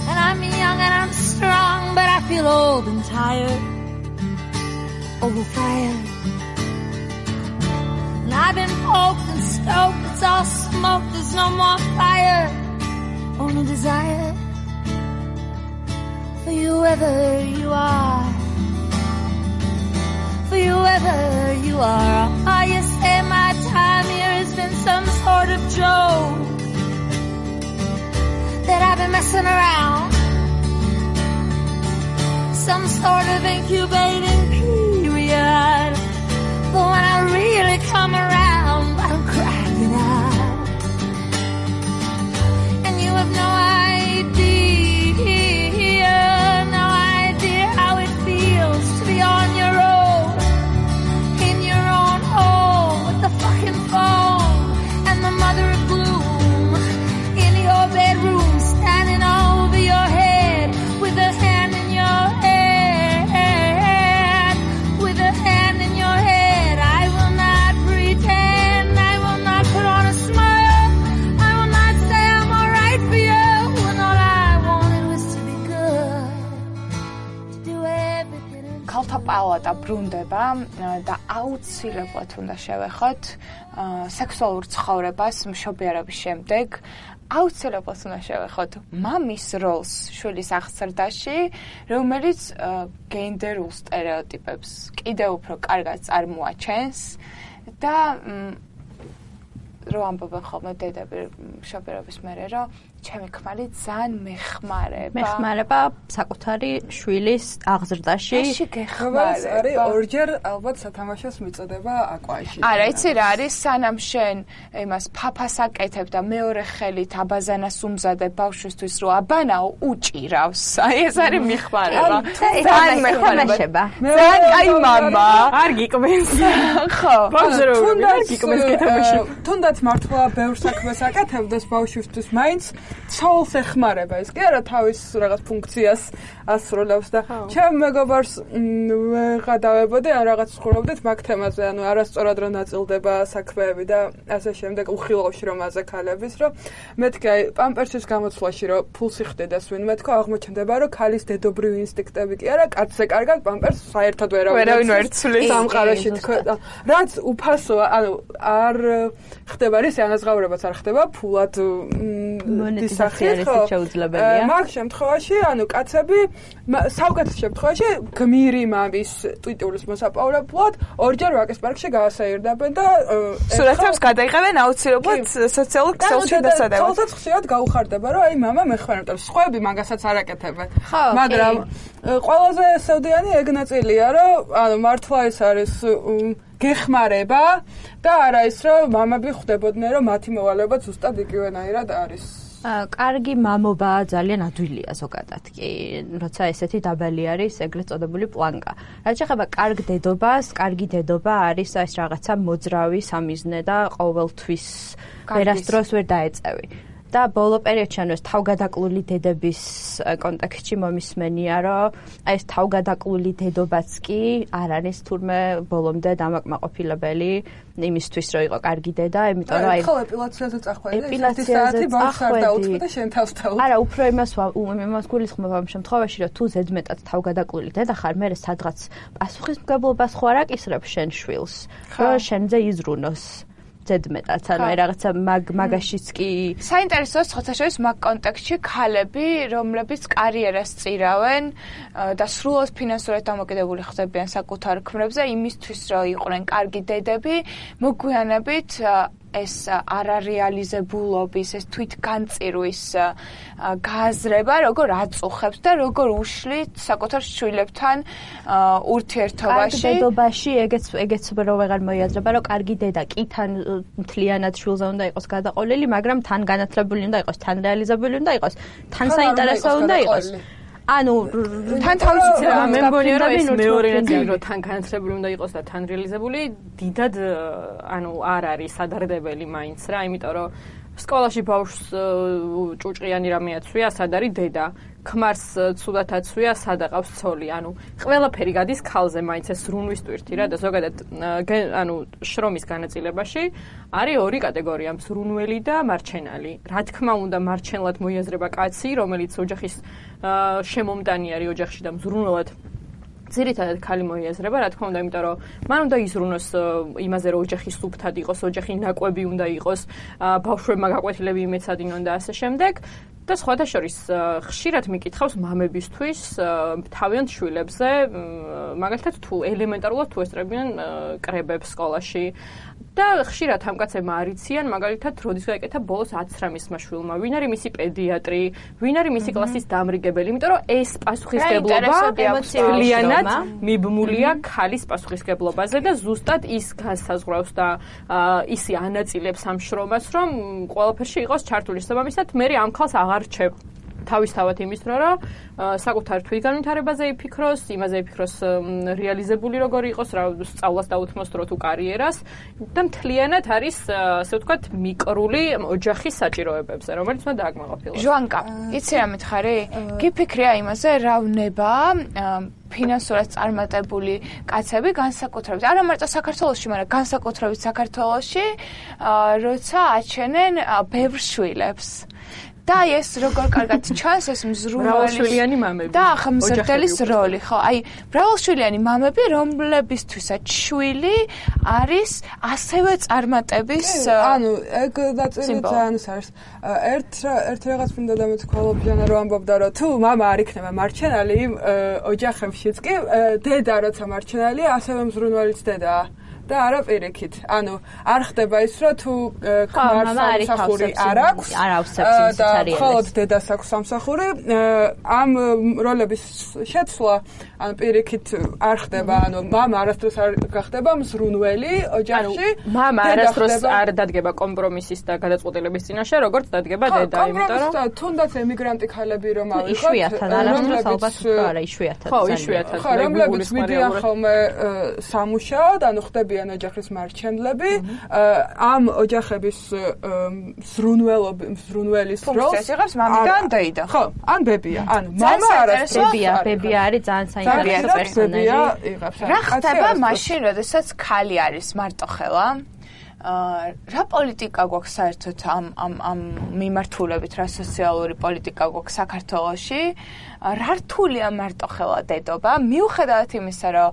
And I'm young and I'm strong, but I feel old and tired. Overfired. And I've been poked and stoked, it's all smoke, there's no more fire. Only desire. For you whoever you are, for you whoever you are. Oh, you say my time here has been some sort of joke, that I've been messing around, some sort of incubating period. But when I really come around, I'm cracking out, and you have no idea. On your own, in your own home, with the fucking phone and the mother of gloom in your bedroom, standing over your head with a hand in your head, with a hand in your head. I will not pretend, I will not put on a smile, I will not say I'm alright for you, when all I wanted was to be good, to do everything. ქალთა პალატა ბრუნდება და აუცილებლად უნდა შევეხოთ სექსუალურ ცხოვრებას მშობიარობის შემდეგ. აუცილებლად უნდა შევეხოთ მამის როლს შვილის აღზრდაში, რომელიც გენდერულ სტერეოტიპებს კიდევ უფრო კარგად წარმოაჩენს და რომ ამბობენ ხოლმე დედები მშობიარობის მერე, რომ ჩემი ქმარი ძალიან მეხმარება საკუთარი შვილის აღზრდაში. ეში გეხმარება. არის ორჯერ ალბათ სათამაშოს მიწოდება აკვაში. არა, იცი რა არის, სანამ შენ იმას ფაფას აკეთებ და მეორე ხელით აბაზანას უმზადებ ბავშვისთვის რომ აბანაო უჭირავს. აი ეს არის მეხმარება. ძალიან მეხმარება. ძალიან კაი მამა. არ გიკმენს. ხო. ბავშვი არ გიკმენს კეთებაში. თუნდაც მართლა ბევრ საქმეს აკეთებდეს ბავშვისთვის, მაინც ცოლს ეხმარება ის კი არა თავის რაღაც ფუნქციას ასრულებს და ჩემ მეგობარს ვეღადავებოდი ან რაღაც ხურობდით მაგ თემაზე ანუ არასწორად რომ ნაწილდება საქმეები და ასე შემდეგ უხილავში რომ აზე ქალების რომ მეთქი აი პამპერსის გამოცვლაში რომ ფულსი ხდედეს ვინმე თქო აღმოჩნდება რომ ქალის დედობრივი ინსტინქტები კი არა კაცზე კარგად პამპერსს საერთოდ ვერავინ ვერ ცვლის სამყაროში თქო რაც უფასოა ანუ არ ხდება რისი ანაზღაურებაც არ ხდება ფულად მონეტიზაცია შეუძლებელია მაგ შემთხვევაში ანუ კაცები საუკეთესო შემთხვევაში გმირი მამის ტვიტურის მოსაპოვებლად ორჯერ ვაკის პარკში გაასაირდებენ და სურათებს გადაიღებენ აუცილებლად სოციალურ ქსელში დასადებად. თვალსაც ხშირად გაუხარდება რომ აი მამა მეხვენება, სხვაები მაგასაც არ აკეთებენ. მაგრამ ყველაზე სევდიანი ეგ ნაწილია რომ ანუ მართლა ეს არის გეხმარება და არა ის რომ მამები ხვდებოდნენ რომ მათი მოვალეობა ზუსტად იგივენაირად არის. კარგი მამობა ძალიან ადვილია ზოგადად კი, როცა ესეთი დაბალი არის ეგრეთ წოდებული პლანკა. რაც შეეხება კარგ დედობას, კარგი დედობა არის ეს რაღაცა მოძრავი სამიზნე და ყოველთვის ვერასდროს ვერ დაეწევი. და ბოლო პერიოდში ანუ ეს თავგადაკლული დედების კონტექსტში მომისმენია, რომ აი ეს თავგადაკლული დედობაც კი არ არის თურმე ბოლომდე დამაკმაყოფილებელი იმისთვის, რომ იყო კარგი დედა, იმიტომ რომ აი ხო ეპილაციაზე წახვედი, ეპილაციაზე ბავშვს არ დაუწყო და შენ თავს დაუწყო. არა, უფრო იმას გულისხმობ ამ შემთხვევაში, რომ თუ ზედმეტად თავგადაკლული დედა ხარ, მე სადღაც პასუხისმგებლობას ხო არ აკისრებ შენ შვილს, რომ შენზე იზრუნოს. ზედმეტად, ანუ აი რაღაცა მაგაშიც კი საინტერესოა ხოთაშორის მაგ კონტექსტში ქალები, რომლებიც კარიერას წირავენ და სრულად ფინანსურად დამოკიდებული ხდებიან საკუთარ ქმრებზე, იმისთვის რომ იყვნენ კარგი დედები, მოგვიანებით ეს არარეალიზებულობის, ეს თვითგანწირვის გააზრება, როგორ აწუხებს და როგორ უშლით საკუთარ შვილებთან ურთიერთობაში. კარგი დედობაში ეგეც რო ვეღარ მოიაზრება, რომ კარგი დედა კი თან მთლიანად შვილზე უნდა იყოს გადაყოლილი, მაგრამ თან განათლებული უნდა იყოს, თან რეალიზებული უნდა იყოს, თან საინტერესო უნდა იყოს. ანუ თან თავისი მე მგონია რომ ეს მეორე ნაწილი რომ თან განათლებული უნდა იყოს და თან რეალიზებული დიდად ანუ არ არის სადარდებელი მაინც რა, იმიტომ რომ სკოლაში ბავშვს ჭუჭყიანი რამე აცვია, სად არის დედა, ქმარს ცუდად აცვია, სად აყავს ცოლი, ანუ ყველაფერი გადის ქალზე, მაინც ეს ზრუნვის ტვირთი რა და ზოგადად ანუ შრომის განაწილებაში არის ორი კატეგორია, მზრუნველი და მარჩენალი. რა თქმა უნდა, მარჩენლად მოიაზრება კაცი, რომელიც ოჯახის შემომტანი არის ოჯახში და მზრუნველად ძირითადად ქალი მოიაზრება, რა თქმა უნდა, იმიტომ რომ მან უნდა იზრუნოს იმაზე, რომ ოჯახი სუფთად იყოს, ოჯახი ნაკვები უნდა იყოს, ბავშვებმა გაკვეთილები იმეცადინონ და ასე შემდეგ. და სხვათა შორის ხშირად მიკითხავს მამებისთვის თავიანთ შვილებზე, მაგალითად თუ ელემენტარულად თუ ესწრებიან კრებებს სკოლაში და ხშირად ამ კაცებმა არიციან, მაგალითად, როდის გაიკეთა ბოლოს 19 შვილმა, ვინ არის მისი პედიატრი, ვინ არის მისი კლასის დამრიგებელი, იმიტომ რომ ეს პასუხისმგებლობა ემოციურად მიბმულია ქალის პასუხისმგებლობაზე და ზუსტად ის განსაზღვრავს და ისი ანაწილებს ამ შრომას, რომ ყველაფერში იყოს ჩართული. შესაბამისად, მე ამ ქალს აღარ რჩევ თავისთავად იმის რომ საკუთარ თვითგანვითარებაზე იფიქროს, იმაზე იფიქროს რეალიზებული როგორ იყოს, რა სწავლას დაუთმოს დრო თუ კარიერას და მთლიანად არის, ასე ვთქვათ, მიკრული ოჯახის საჭიროებებზე, რომელიც უნდა დააკმაყოფილოს. ჟوانკა, იცი რა მითხარი? გიფიქრია იმაზე, რა ვნება ფინანსურად წარმატებული კაცები განსაკუთრებით, არა მარტო საქართველოში, მაგრამ განსაკუთრებით საქართველოში, როცა აჩენენ ბევრ შვილებს. და ეს როგორ კარგად ჩანს ეს მრავალშვილიანი მამები და აღმზრდელის როლი, ხო? აი, მრავალშვილიანი მამები, რომლებისთვისაც შვილი არის ასევე წარმატების ანუ ეგ ნაწილი ძალიან არის. ერთ რაღაც მინდა დამეთქვალობიანა რომ ამბობდა რომ თუ მამა არ იქნება მარჩენალი ოჯახებშიც კი დედა როცა მარჩენალია, ასევე მზრუნველიც დედაა. და არა პირიქით. ანუ არ ხდება ის რომ თუ ქმარს სამსახური არ აქვს, არ ავსებს ის არის. მხოლოდ დედას აქვს სამსახური, ამ როლების შეცვლა, ანუ პირიქით არ ხდება, ანუ მამა არასდროს არ გახდება მზრუნველი ოჯახში. მამა არასდროს არ დადგება კომპრომისის და გადაწყვეტილების წინაშე, როგორც დადგება დედა, იმიტომ რომ თუნდაც ემიგრანტი ქალები რომ ავიღოთ, იშვიათად არასდროს ალბათ არა, იშვიათად. ხო, იშვიათად. რომლებიც მიდიან ხოლმე სამუშაოდ, ანუ ხდებიან არიან ოჯახის მარჩენლები, ამ ოჯახების ზრუნველის როლს ფუნქციას იღებს მამა და დეიდა. ხო, ან ბებია, ან მამა არის ბებია არის ძალიან საინტერესო პერსონაჟი. რა ხდება მაშინ, როდესაც ქალი არის მარტოხელა? რა პოლიტიკა გვაქვს საერთოდ ამ მიმართულებით, რა სოციალური პოლიტიკა გვაქვს საქართველოში? რა რთულია მარტოხელა დედობა? მიუხედავად იმისა, რომ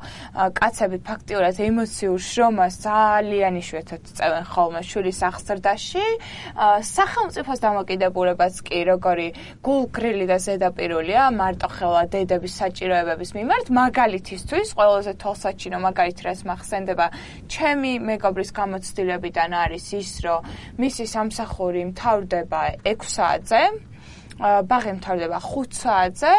კაცები ფაქტიურად ემოციურ შრომას ძალიან იშვიათად წევენ ხოლმე შვილის აღზრდაში, სახელმწიფოს დამოკიდებულებაც კი როგორი გულგრილი და ზედაპირულია მარტოხელა დედების საჭიროებების მიმართ, მაგალითისთვის ყველაზე თვალსაჩინო მაგალითი რაც მახსენდება ჩემი მეგობრის გამოცდილებიდან არის ის, რომ მისი სამსახური მთავრდება 6 საათზე, ბაღი მთავრდება 5 საათზე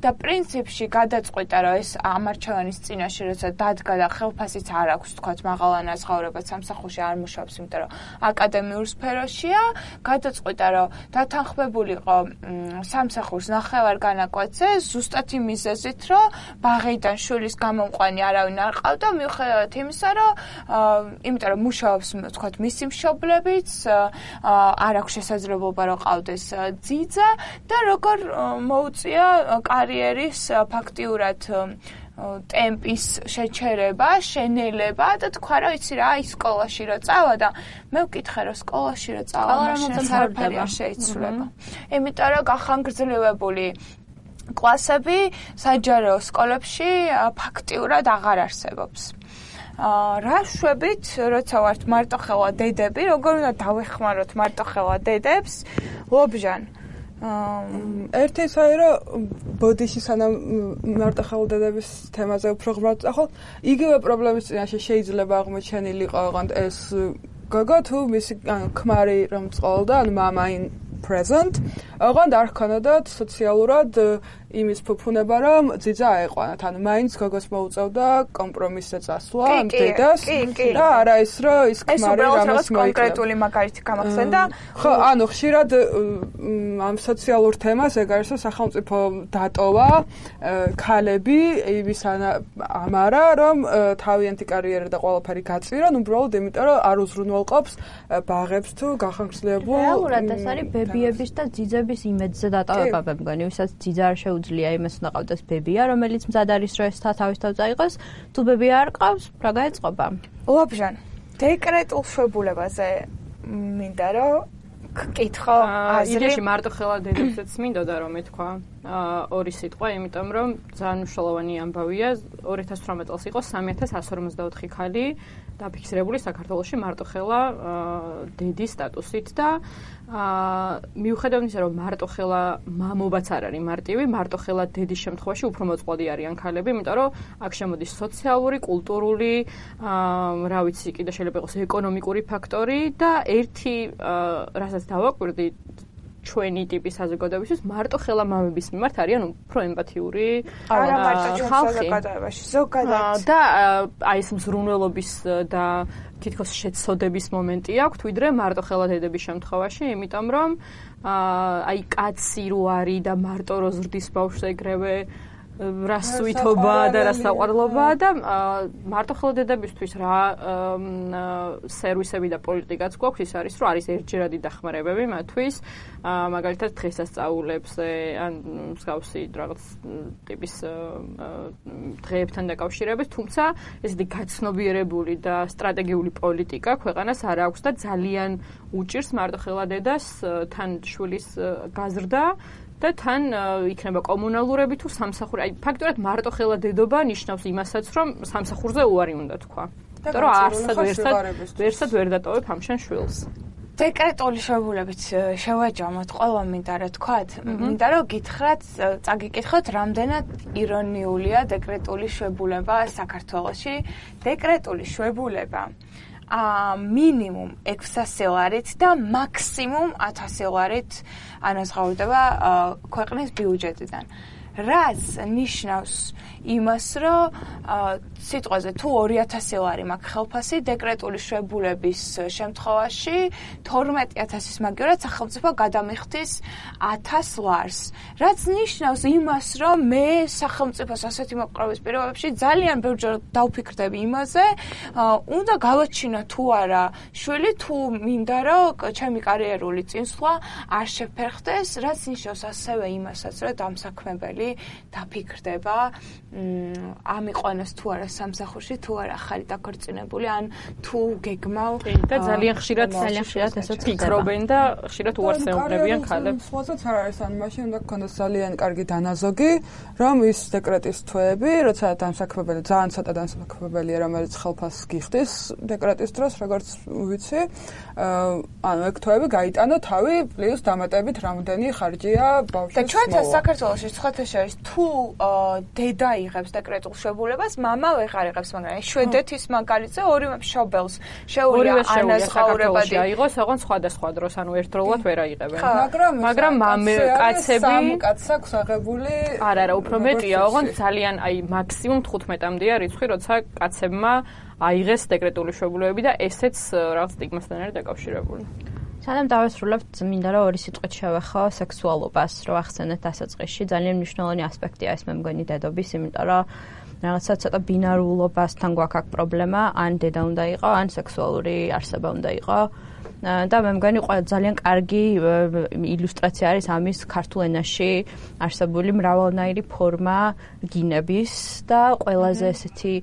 და პრინციპში გადაწყვიტა, რომ ეს ამარჩევანის წინაშე როცა დადგა და ხელფასიც არ აქვს, თქვათ, მაღალანაზღაურებად სამსახურში არ მუშაობს, იმიტომ რომ აკადემიურ სფეროშია, გადაწყვიტა, რომ დათანხმებულიყო სამსახურს ნახევარ განაკვეთზე, ზუსტად იმ მიზეზით, რომ ბაღიდან შვილის გამომყვანი არავინ არ ყავდა, მიუხედავად იმისა, რომ იმიტომ რომ მუშაობს, თქვათ, მისი მშობლებიც, არ აქვს შესაძლებლობა რომ ყავდეს ძიძა და როგორ მოუწია კარიერის ფაქტიურად ტემპის შეჩერება, შენელება და თქვა რომ იცი რა, ის სკოლაში რო წავა და მე ვკითხე რომ სკოლაში რო წავა, მაშინ არაფერი არ შეიცვლება. იმიტომ რომ გახანგრძლივებული კლასები საჯარო სკოლებში ფაქტიურად აღარ არსებობს. რა შვებით, როცა ვართ მარტოხელა დედები, როგორ უნდა დავეხმაროთ მარტოხელა დედებს? ლობჟან ერთი საერო ბოდიში სანამ მარტოხელა დედების თემაზე უფრო ღრმად ახალ იგივე პრობლემის წინაშე შეიძლება აღმოჩენილიყო ოღონდ ეს გოგო თუ მისი ქმარი რომ წყოლდა, ანუ მამა in present, ოღონდ არ ჰქონოდათ სოციალურად იმის ფუფუნება, რომ ძიძა აეყვანათ, ანუ მაინც გოგოს მოუწევდა კომპრომისზე წასვლა დედას და არა ის, რომ ის ქმარი რამას მოიკლა. კონკრეტული მაგალითი გამახსენდა. ხო, ანუ ხშირად ამ სოციალურ თემას ეგ არის, რომ სახელმწიფო დატოვა ქალები იმის ამარა, რომ თავიანთი კარიერა და ყველაფერი გაწირონ, უბრალოდ იმიტომ, რომ არ უზრუნველყოფს ბაღებს თუ გახანგრძლივებულ. რეალურად ეს არის ბებიების და ძიძების იმედზე დატოვება, მე მგონი, ვისაც ძიძა არ შეუძლია იმას უნდა ყავდეს ბებია, რომელიც მზად არის რომ ეს თავის თავ წაიღოს, თუ ბებია არ ყავს, რა გაეწყობა? ლობჟან, დეკრეტულ შვებულებაზე მინდა რომ გკითხო აზრი. იდეაში მარტოხელა დედებსაც მინდოდა რომ მეთქვა ორი სიტყვა, იმიტომ რომ ძალიან მნიშვნელოვანი ამბავია, 2018 წელს იყო 3154 ქალი დაფიქსირებული საქართველოში მარტოხელა დედის სტატუსით და მიუხედავად იმისა, რომ მარტოხელა მამობაც არ არის მარტივი, მარტოხელა დედის შემთხვევაში უფრო მოწყვლადი არიან ქალები, იმიტომ რომ აქ შემოდის სოციალური, კულტურული, რა ვიცი, კიდე შეიძლება იყოს ეკონომიკური ფაქტორი და ერთი, რასაც დავაკვირდი ჩვენი ტიპის საზოგადოებისთვის მარტოხელა მამების მიმართ არიან უფრო ემპათიური არა მარტო ჩვენ საზოგადოებაში ზოგადად და აი ეს მზრუნველობის და თითქოს შეცოდების მომენტი აქვს ვიდრე მარტოხელა დედების შემთხვევაში, იმიტომ რომ აი კაცი რო არის და მარტო რო ზრდის ბავშვს ეგრევე რა სუითობა და რა საყვარლობა და მარტოხელა დედებისთვის რა სერვისები და პოლიტიკაც გვაქვს ის არის რომ არის ერთჯერადი დახმარებები მათთვის მაგალითად დღესასწაულებზე ან მსგავსი რაღაც ტიპის დღეებთან დაკავშირებით, თუმცა ესეთი გაცნობიერებული და სტრატეგიული პოლიტიკა ქვეყანას არ აქვს და ძალიან უჭირს მარტოხელა დედას თან შვილის გაზრდა და თან იქნება კომუნალურები თუ სამსახური. აი ფაქტობრივად მარტოხელა დედობა ნიშნავს იმასაც, რომ სამსახურზე უარი უნდა თქვა. იმიტომ რომ არსად ვერ დატოვებ ამშენ შვილს. დეკრეტული შვებულებით შევაჯამოთ ყველა მინდა რა თქვათ. მინდა რომ გითხრათ, წაგიკითხოთ, რამდენად ირონიულია დეკრეტული შვებულება საქართველოში. დეკრეტული შვებულება მინიმუმ 600 ლარით და მაქსიმუმ 1000 ლარით ანაზღაურდება ქვეყნის ბიუჯეტიდან. რაც ნიშნავს იმას, რომ სიტყვაზე თუ 2000 ლარი მაქვს ხელფასი დეკრეტული შვებულების შემთხვევაში 12000-ის მაგივრად სახელმწიფო გადამიხდის 1000 ლარს. რაც ნიშნავს იმას, რომ მე სახელმწიფოს ასეთი მოპყრობის პირობებში ძალიან ბევრჯერ დავფიქრდები იმაზე, უნდა გავაჩინო თუ არა შვილი, თუ მინდა რომ ჩემი კარიერული წინსვლა არ შეფერხდეს, რაც ნიშნავს ასევე იმასაც, რომ დამსაქმებელი დაფიქრდება ამიყვანოს თუ არა სამსახურში, თუ არა ხარი დაქორწინებული, ან თუ გეგმავ და ძალიან ხშირად ესაც ფიქრობენ და ხშირად უარს ეუბნებიან ქალებს. სხვასაც არ არის, ან მაშინ უნდა გქონდეს ძალიან კარგი დანაზოგი, რომ ის დეკრეტის თვეები, როცა დამსაქმებელი ძალიან ცოტა დამსაქმებელია, რომელიც ხელფასს გიხდის დეკრეტის დროს, როგორც ვიცი, ანუ ეგ თვეები გაიტანო თავი პლუს დამატებით რამდენი ხარჯია ბავშვის. და ჩვენთან საქართველოში სხვათა შორის თუ დედა იღებს დეკრეტულ შვებულებას, მამა ვეღარ იღებს, მაგრამ შვედეთის მაგალითზე ორივე მშობელს შეუძლია ანაზღაურებადი აიღოს, ოღონდ სხვადასხვა დროს, ანუ ერთდროულად ვერ აიღებენ. მაგრამ კაცები სამ კაცს აქვს აღებული. არა, უფრო მეტია, ოღონდ ძალიან მაქსიმუმ 15-მდეა რიცხვი, როცა კაცებმა აიღეს დეკრეტული შვებულებები და ესეც რაღაც სტიგმასთან არის დაკავშირებული. სანამ დავესრულებთ, მინდა რომ ორი სიტყვით შევეხო სექსუალობას, რომ ახსენეთ დასაწყისში. ძალიან მნიშვნელოვანი ასპექტია ეს მე მგონი დედობის, იმიტომ რომ რაღაცა ცოტა ბინარულობასთან გვაქვს აქ პრობლემა, ან დედა უნდა იყო, ან სექსუალური არსება უნდა იყო. და მე მგონი ძალიან კარგი ილუსტრაცია არის ამის ქართულ ენაში არსებული მრავალნაირი ფორმა გინების და ყველაზე ესეთი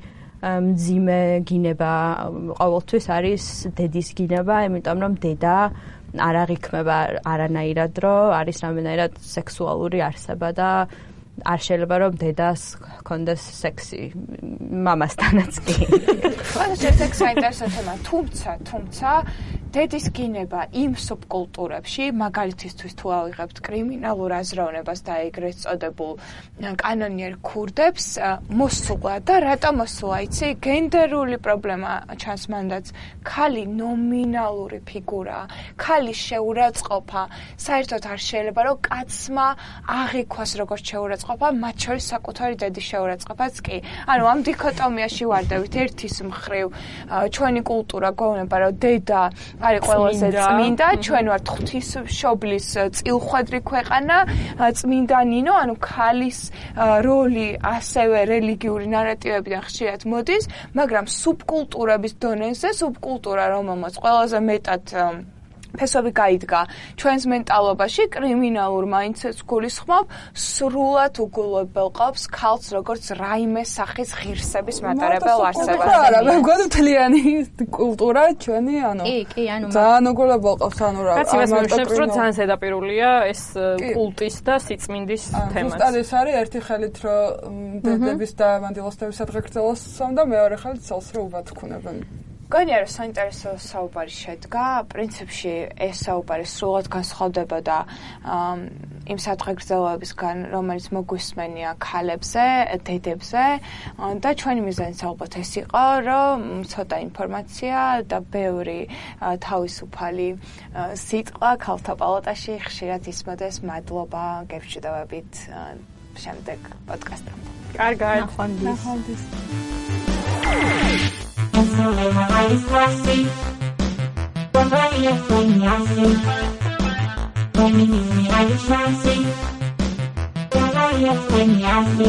მძიმე გინება ყოველთვის არის დედის გინება, იმიტომ რომ დედა არ აღიქმება არანაირად, რომ არის რამდენად სექსუალური არსება და არ შეიძლება რომ დედას ჰქონდეს სექსი მამასთანაც კი. ყველა სექსი საინტერესო თემა, თუმცა დედის გინება იმ სუბკულტურებში, მაგალითისთვის თუ ავიღებთ კრიმინალურ აზროვნებას და ეგრეთ წოდებულ კანონიერ ქურდებს, მოსულა და რატომ მოსულა, იცი? გენდერული პრობლემა ჩანს მანდაც. ქალი ნომინალური ფიგურაა, ქალის შეურაცხყოფა საერთოდ არ შეიძლება, რომ კაცმა აღიქვას როგორც შეურაცხყოფა, მათ შორის საკუთარი დედის შეურაცხყოფაც კი. ანუ ამ დიქოტომიაში ვარდებით ერთის მხრივ ჩვენი კულტურა გვეუბნება, რომ დედა არის ყველაზე წმინდა, ჩვენ ვართ ღვთისმშობლის წილხვედრი ქვეყანა, წმინდა ნინო, ანუ ქალის როლი ასევე რელიგიური ნარატივებიდან ხშირად მოდის, მაგრამ სუბკულტურების დონეზე, სუბკულტურა რომელმაც ყველაზე მეტად ფესვები გაიდგა ჩვენს მენტალობაში, კრიმინალურ მაინდსეტს გულისხმობ, სრულად უგულებელ ყავს ქალს როგორც რაიმე სახის ღირსების მატარებელ არსებას. არა, მე მგონი მთლიანი კულტურა ჩვენი, ანუ კი, ანუ ძალიან უგულებელ ყავს, ანუ რა. კაცი მას მეუბნებს, რომ ძალიან ზედაპირულია ეს კულტის და სიწმინდის თემაც. ზუსტად ეს არის ერთი ხელით, რომ დედების და მანდილოსტების სადღეგრძელოს და მეორე ხელით ცელს რომ უბათქუნებენ. გონია რომ საინტერესო საუბარი შედგა, პრინციპში ეს საუბარი სრულად განსხვავდებოდა იმ სადღეგრძელოებისგან, რომელიც მოგვისმენია ქალებზე, დედებზე და ჩვენი მიზანიც ალბათ ეს იყო, რომ ცოტა ინფორმაცია და ბევრი თავისუფალი სიტყვა ქალთა პალატაში ხშირად ისმოდეს. მადლობა, გებრჩდებით შემდეგ პოდკასტამდე. კარგად. ნახვამდის. Cuando ella soñase, con mi niña de chance, cuando ella soñase.